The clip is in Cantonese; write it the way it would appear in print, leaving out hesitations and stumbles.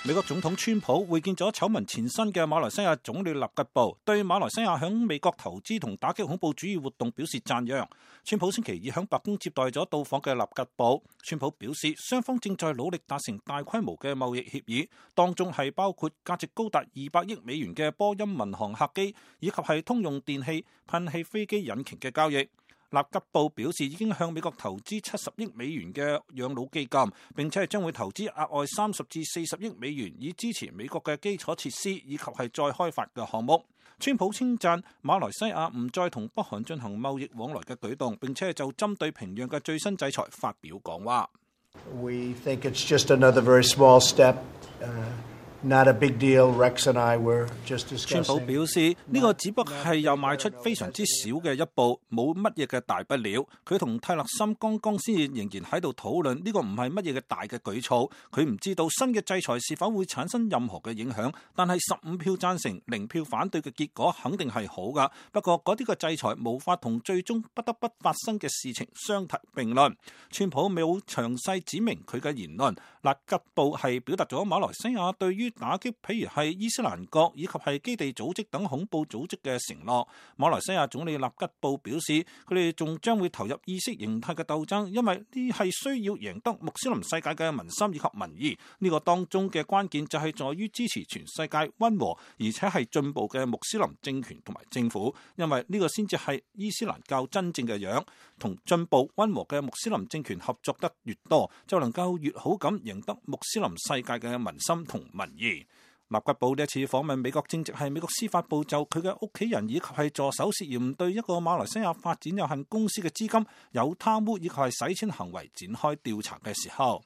美國總統川普會見咗醜聞纏身嘅馬來西亞總理納吉布，對馬來西亞響美國投資同打擊恐怖主義活動表示讚揚。川普星期二響白宮接待咗到訪嘅納吉布，川普表示雙方正在努力達成大規模嘅貿易協議，當中係包括價值高達200億美元嘅波音民航客機，以及係通用電氣噴氣飛機引擎嘅交易。納吉布表示已經向美國投資70億美元嘅養老基金，並且係將會投資額外30至40億美元，以支持美國嘅基礎設施以及係再開發嘅項目。川普稱讚馬來西亞唔再同北韓進行貿易往來嘅舉動，並且就針對平壤嘅最新制裁發表講話。We think it's just another very small step. Not a big deal. Rex and I were just discussing. 川普表示呢個只不過係又邁出非常之小嘅一步，冇乜嘢嘅大不了。佢同泰勒森剛剛先至仍然喺度討論呢個唔係乜嘢嘅大嘅舉措。佢唔知道新嘅制裁是否會產生任何嘅影響，但係15票贊成0票反對嘅結果肯定係好噶。不過嗰啲嘅制裁無法同最終不得不發生嘅事情相提並論。川普冇詳細指明佢嘅言論。納吉布係表達咗馬來西亞對於打擊譬如係伊斯蘭國以及係基地組織等恐怖組織嘅承諾。馬來西亞總理納吉布表示，佢哋仲將會投入意識形態嘅鬥爭，因為呢係需要贏得穆斯林世界嘅民心以及民意。呢個當中嘅關鍵就係在於支持全世界溫和而且係進步嘅穆斯林政權同埋政府，因為呢個先至係伊斯蘭教真正嘅樣。同進步溫和嘅穆斯林政權合作得越多，就能夠越好咁贏得穆斯林世界嘅民心同民意。納吉布呢一次訪問美國，正值係美國司法部就佢嘅屋企人以及係助手涉嫌對一個馬來西亞發展有限公司嘅資金有貪污以及係洗錢行為展開調查嘅時候。